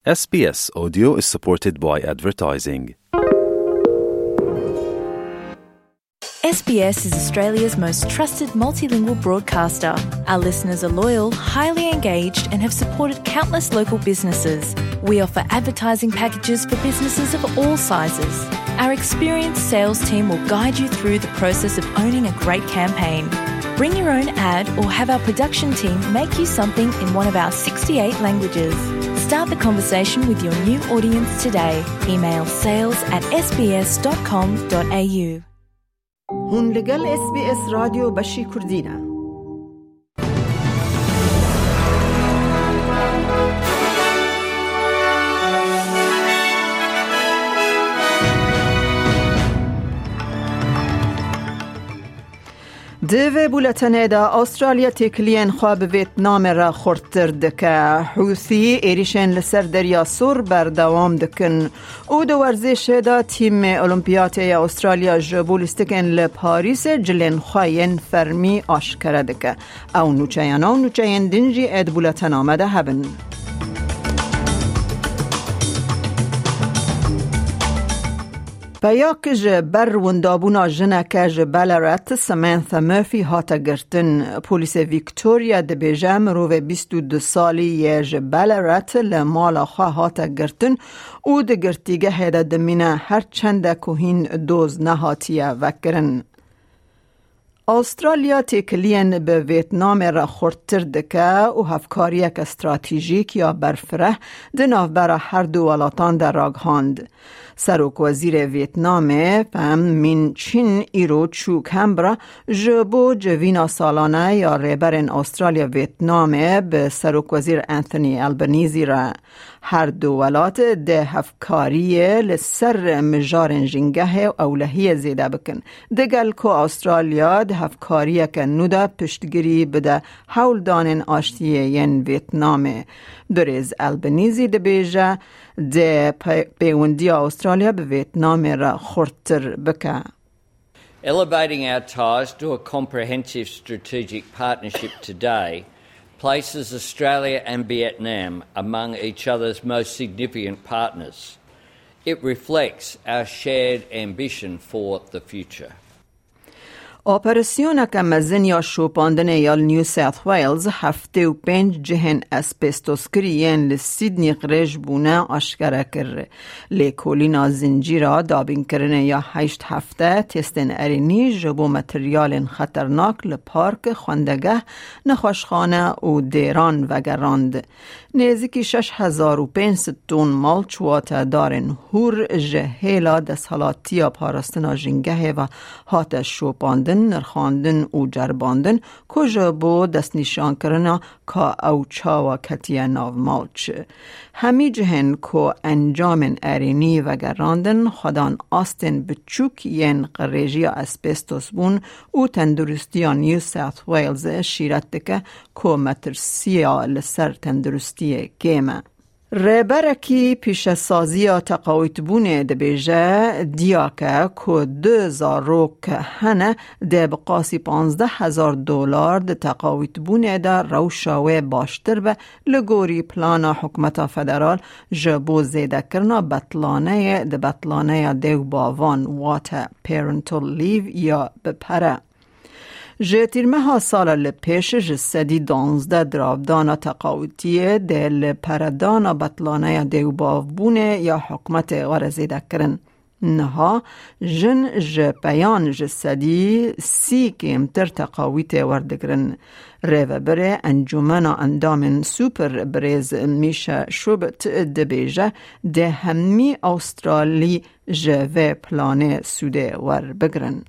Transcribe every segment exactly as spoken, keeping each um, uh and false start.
S B S Audio is supported by advertising. S B S is Australia's most trusted multilingual broadcaster. Our listeners are loyal, highly engaged, and have supported countless local businesses. We offer advertising packages for businesses of all sizes. Our experienced sales team will guide you through the process of owning a great campaign. Bring your own ad or have our production team make you something in one of our sixty-eight languages. Start the conversation with your new audience today. Email sales at S B S dot com dot A U. Hûn li gel S B S Radyo Beşî Kurdî ne. Di vê bûletenê de Astralya têkiliyên xwe bi Vêtnamê re xurttir dike. Hûsî êrîşên li ser Derya Sor berdewam dikin û di werzêşê de tîmê Olimpiyatê ya Astralya ji bo lîstikên li Parîsê cilên xwe yên fermî aşkere dike. Ew nûçeyana û nûçeyên din jî ê di bûletena me de hebin. Peyak ji ber windabûna jineke ji Ballarat, Samantha Murphy, hate girtin. Polîsê Victoria dibêje mirovê bîst û du salî yê ji Ballarat li mala xwe hate girtin û di girtîgehê de dimîne, her çende ku hîn doz nehatiye vekirin. Astralya têkiliyên bi Vêtnamê re xurttir dike û hevkariyeke stratejîk ya berfireh di navbera her du welatan de ragihand. Serokwezîrê Vêtnamê Pham Minh Chinh îro çû Canberra ji bo civîna salane ya rêberên Astralya Vêtnamê bi Serokwezîr Anthony Albanese re. Her du welat dê hevkariyê li ser mijarên jîngehê û ewlehiyê zêde bikin. Digel ku Astralya di hevkariyeke nû de piştgirî bide hewldanên aştiyê yên Vêtnamê. Birêz Albanese dibêje, dê pe-, pêwendiya Astralya bi Vêtnamê re xurttir bike. Elevating our ties to a comprehensive strategic partnership today places Australia and Vietnam among each other's most significant partners. It reflects our shared ambition for the future. Operasyoneke mezin ya şopandinê ya li New South Wales heftê û pênc cihên asbestoskirî yên li Sydney qirêj bûne aşkere kir. Lêkolîna zincîra dabînkirinê ya heşt hefte testên erênî ji bo materyalên xeternak li park, xwendegeh, nexweşxane û dêran vegerand. Nêzîkî şeş hezar û pênc sed ton malç, wate darên hûr, ji hêla desthilatiya parastina jîngehê ve hate şopandin, nirxandin û ceribandin, ku ji bo destnîşankirina ka ew çawa ketiye nav malç. Hemî cihên ku encamên erênî vegerandin, xwedan astên biçûk yên qirêjiya asbestos bûn û Tenduristiya New South Wales şîret dike ku metirsiya li ser tenduristiyê kêm e. Rêberekî pîşesaziya teqawîtbûnê dibêje, diyake ku du zarok hene, dê bi qasî panzdeh hezar dolar di teqawîtbûnê de rewşa wê baştir be, li gorî plana hikûmeta federal ji bo zêdekirina betlaneyê di betlaneya dê û bavan, wate parental leave ya bi pere. Ji tîrmeha sala li pêş ji sedî danzdeh diravdana teqawitiyê dê li peredana betlaneya dê û bavbûnê ya hikûmetê were zêdekirin. Niha jin ji peyan ji sedî sî kêmtir teqawîtê werdigirin. Rêvebirê Encûmena Endamên Super, birêz Misha Shubert, dibêje, dê hemî Awstralî ji vê planê sûdê werbigirin.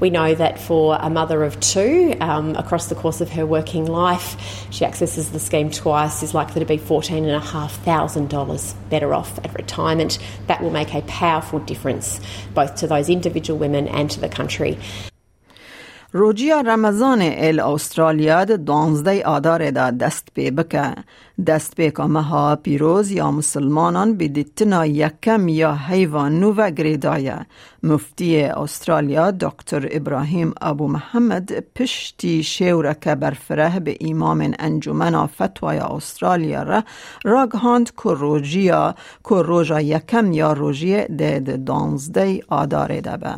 We know that for a mother of two, um, across the course of her working life, she accesses the scheme twice, is likely to be fourteen and a half thousand dollars better off at retirement. That will make a powerful difference both to those individual women and to the country. Rojiya Remezanê ê li Astralya di duwazdeh Adarê de dest pê bike. Destpêka meha pîroz ya misilmanan bi dîtina yekem ya heyva nû ve girêdaye. Muftiyê Astralya Doktor Ibrahim Abu Muhammed piştî şêwreke berfireh bi îmamên Encûmena Fetwaya Astralya re ragihand ku rojiya, ku roja yekem ya rojiyê dê di duwazdeh Adarê de be.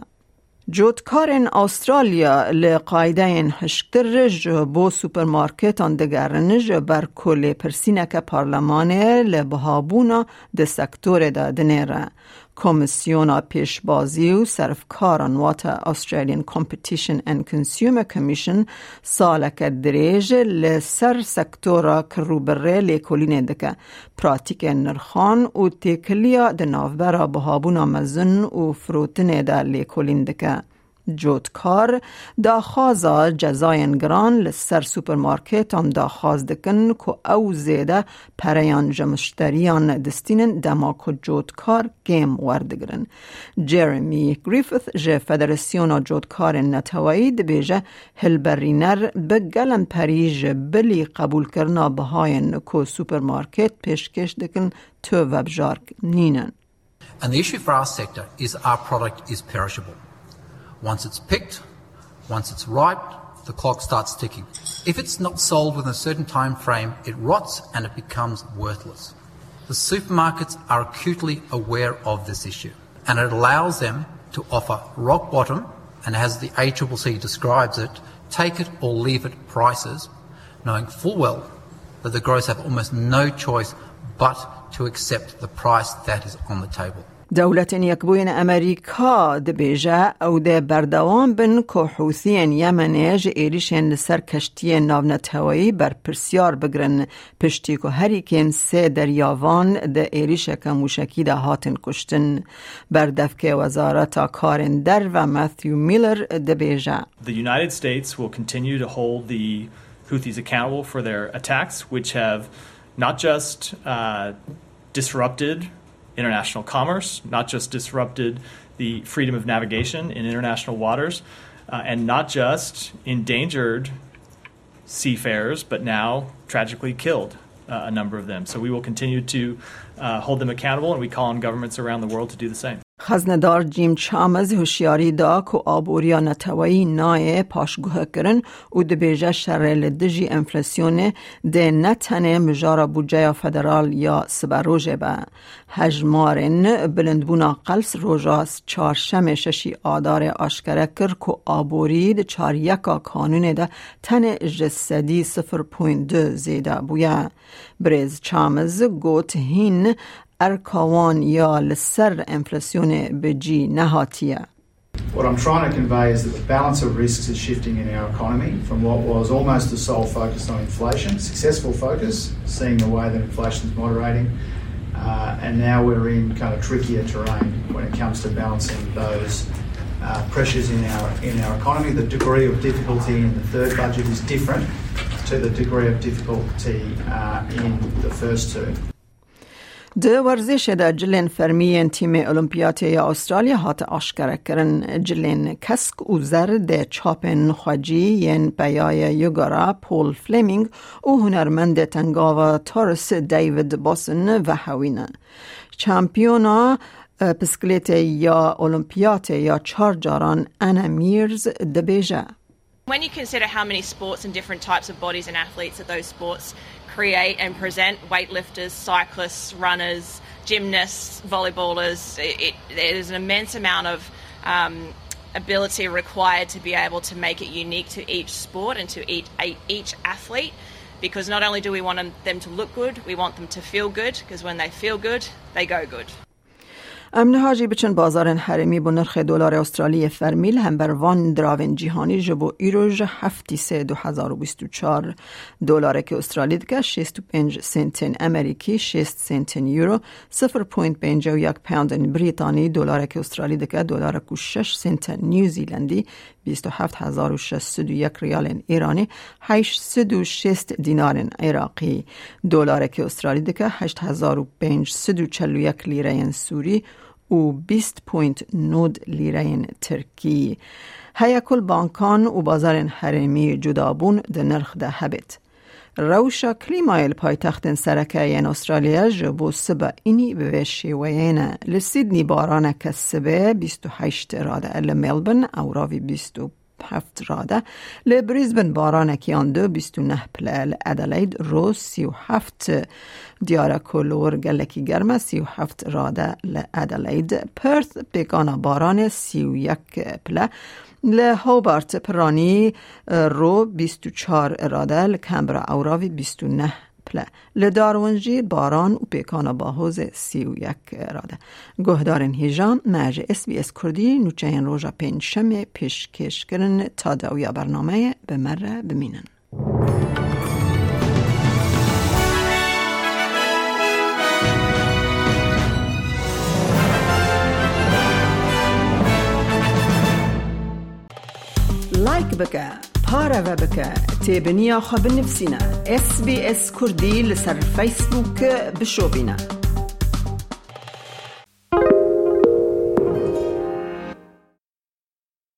Cotkarên Astralya li qaydeyên hişktir ji bo supermarketan digerin, ji ber ku lêpirsîneke parlemanê li bihabûna di sektorê de dinêre. Komîsyona Pêşbazî û Serfkaran, wate Australian Competition and Consumer Commission, saleke dirêj li ser sektora kirrûbirrê lêkolînê dike. Pratîkên nirxan û têkiliya di navbera bihabûna mezin û firotinê de lêkolîn dike. Cotkar daxwaza cezayên giran li ser supermarketan daxwaz dikin ku ew zêde pereyan ji mişteriyan distînin, dema ku cotkar kêm werdigirin. Jeremy Griffith ji Federasyona Cotkarên Neteweyî dibêje, hilberîner bi gelemperî ji bilî qebûlkirina bihayên ku supermarket pêşkêş dikin tu vebjark nînin. And the issue for our sector is our product is perishable. Once it's picked, once it's ripe, the clock starts ticking. If it's not sold within a certain time frame, it rots and it becomes worthless. The supermarkets are acutely aware of this issue, and it allows them to offer rock bottom, and as the A triple C describes it, take it or leave it prices, knowing full well that the growers have almost no choice but to accept the price that is on the table. Dewletên Yekbûyî Amerîka dibêje, ew dê berdewam bin ku Hûsiyên Yemenê ji êrîşên li ser keştiyên navneteweyî berpirsiyar bigirin, piştî ku herî kêm sê deryavan di êrîşeke mûşekî de hatin kuştin. Berdevkê Wezareta Karên Derve Matthew Miller dibêje. The United States will continue to hold the Houthis accountable for their attacks, which have not just, uh, disrupted international commerce, not just disrupted the freedom of navigation in international waters, uh, and not just endangered seafarers, but now tragically killed, uh, a number of them. So we will continue to, uh, hold them accountable, and we call on governments around the world to do the same. Xeznedar Jim Chalmers hişyarî da ku aboriya neteweyî nayê paşguhkirin û dibêje, şerê li dijî enflasyonê dê ne tenê mijara budceya federal ya siberojê be. Hejmarên bilindbûna qels roja çarşemê şeşî Adarê aşkere kir ku aborî di çaryeka kanûnê de tenê ji sedî sifir point du zêde bûye. Birêz Chalmers got, hîn erka wan ya li ser enflasyonê bi cî nehatiye. What I'm trying to convey is that the balance of risks is shifting in our economy from what was almost the sole focus on inflation, successful focus, seeing the way that inflation is moderating, uh, and now we're in kind of trickier terrain when it comes to balancing those, uh, pressures in our, in our economy. The degree of difficulty in the third budget is different to the degree of difficulty, uh, in the first two. Di werzêşê de cilên fermî yên tîmê Olimpiyatê ya Astralya hate aşkerekirin. Cilên kesk û zer dê çapên xwecî yên peyayê Yugara Paul Fleming û hunermendê tengava Torres David Bosson vehewîne. Şampiyona, e, piskilêtê ya Olimpiyatê ya çar caran Anna Meares dibêje. When you consider how many sports and different types of bodies and athletes that those sports create and present, weightlifters, cyclists, runners, gymnasts, volleyballers, it, it, there's an immense amount of, um, ability required to be able to make it unique to each sport and to each, each athlete, because not only do we want them, them to look good, we want them to feel good, because when they feel good, they go good. Em niha jî biçin bazarên herêmî bo nirxê dolarê Astraliyê fermî li hember van diravên cîhanî ji bo îro ji heftî sê du hezar û bîst û çar. Dolarekî Astralî dike şêst û pênc sentên Amerîkî, şêst sentên Euro, sifir point pêncî û yek poundên Brîtanî, dolarekî Astralî dike dolarek û şeş sentên New Zealandî, bîst û heft hezar û şeş sed û yek riyalên Îranî, heşt sed û şêst dînarên Iraqî. Dolarekî Astralî dike heşt hezar û pênc sed û çel û yek lîreyên Sûrî û bîst point nod lîreyên tirkî. Heye ku li bankan û bazarên herêmî cudabûn di nirx de hebêt. Rewşa klîmayê li paytextên sereke yên Australya ji bo siba înî bi vê şêweyê ne. Li Sydney baraneke sibê bîst û heşt rade, li Melbourne ewravî bîst û heft rade, li Brisbane baranekî yan du bîst û neh pile, li Adelaide ro sî û heft diyar e ku li wir gelekî germ e, sî û heft rade li Adelaide, Perth pêkana baranê sî û yek pile, li Hobart piranî, e, ro bîst û çar rade, li Canberra ewravî bîst û neh pile. Li Darwin jî baran û pêkana bahozê sî û yek rade. Guhdarên hêja, me ji S B S Kurdî nûçeyên roja pêncşemê pêşkêş kirin. Ta dawiya bernameyê bi me re bimînin. Like bike, pareve bike, têbiniya xwe binivîsîne. S B S Kurdî li ser Facebook bişopîne.